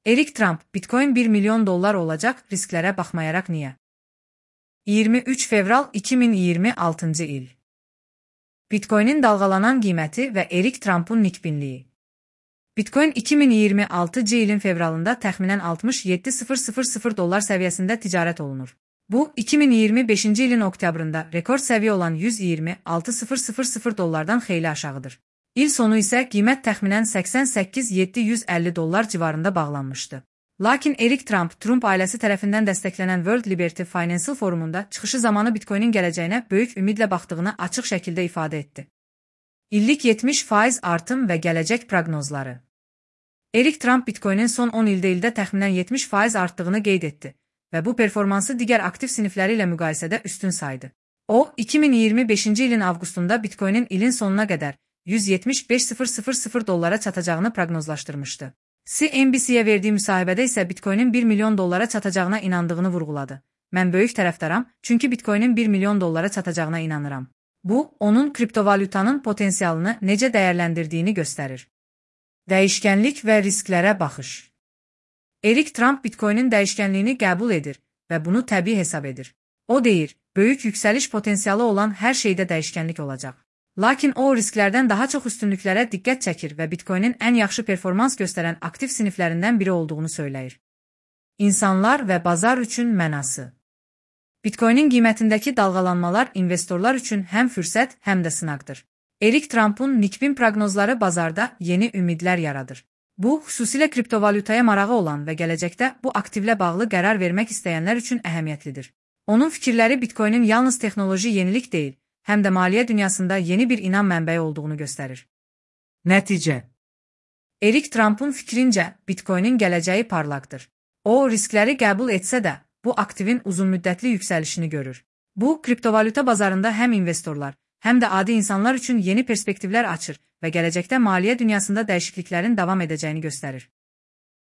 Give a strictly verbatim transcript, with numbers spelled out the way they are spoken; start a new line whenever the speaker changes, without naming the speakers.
Erik Trump, Bitcoin bir milyon dollar olacak, risklere bakmayarak niye? iyirmi üç fevral iki min iyirmi altıncı il. Bitcoin'in dalgalanan qiyməti və Erik Trump'un nikbinliyi. Bitcoin iki min iyirmi altıncı ilin fevralında təxminən altmış yeddi min dollar səviyyəsində ticarət olunur. Bu, iki min iyirmi beşinci ilin oktyabrında rekord səviyyə olan yüz iyirmi altı min dollardan xeyli aşağıdır. İl sonu isə qiymət təxminən səksən səkkiz min yeddi yüz əlli dollar civarında bağlanmışdı. Lakin Erik Trump, Trump ailəsi tərəfindən dəstəklənən World Liberty Financial Forumunda çıxışı zamanı Bitcoinin gələcəyinə böyük ümidlə baxdığını açıq şəkildə ifadə etdi. İllik yetmiş faiz artım və gələcək proqnozları. Erik Trump Bitcoinin son on ildə ildə təxminən yetmiş faiz artdığını qeyd etdi və bu performansı digər aktiv sinifləri ilə müqayisədə üstün saydı. O, iki min iyirmi beşinci ilin avqustunda Bitcoinin ilin sonuna qədər yüz yetmiş beş min dollara çatacağını proqnozlaşdırmışdı. C N B C-yə verdiyi müsahibədə isə Bitcoinin bir milyon dollara çatacağına inandığını vurğuladı. Mən böyük tərəfdaram, çünki Bitcoinin bir milyon dollara çatacağına inanıram. Bu, onun kriptovalyutanın potensialını necə dəyərləndirdiyini göstərir. Dəyişkənlik və risklərə baxış. Erik Trump Bitcoinin dəyişkənliyini qəbul edir və bunu təbii hesab edir. O deyir, böyük yüksəliş potensialı olan hər şeydə dəyişkənlik olacaq. Lakin o, risklərdən daha çox üstünlüklərə diqqət çəkir və Bitcoinin ən yaxşı performans göstərən aktiv siniflərindən biri olduğunu söyləyir. İnsanlar və bazar üçün mənası. Bitcoinin qiymətindəki dalğalanmalar investorlar üçün həm fürsət, həm də sınaqdır. Erik Trump'un nikbin proqnozları bazarda yeni ümidlər yaradır. Bu, xüsusilə kriptovalyutaya marağı olan və gələcəkdə bu aktivlə bağlı qərar vermək istəyənlər üçün əhəmiyyətlidir. Onun fikirləri Bitcoinin yalnız texnoloji yenilik deyil, həm də maliyyə dünyasında yeni bir inam mənbəyi olduğunu göstərir. Nəticə. Erik Trump'un fikrincə, Bitcoinin gələcəyi parlaqdır. O, riskləri qəbul etsə də, bu aktivin uzunmüddətli yüksəlişini görür. Bu, kriptovalyuta bazarında həm investorlar, həm də adi insanlar üçün yeni perspektivlər açır və gələcəkdə maliyyə dünyasında dəyişikliklərin davam edəcəyini göstərir.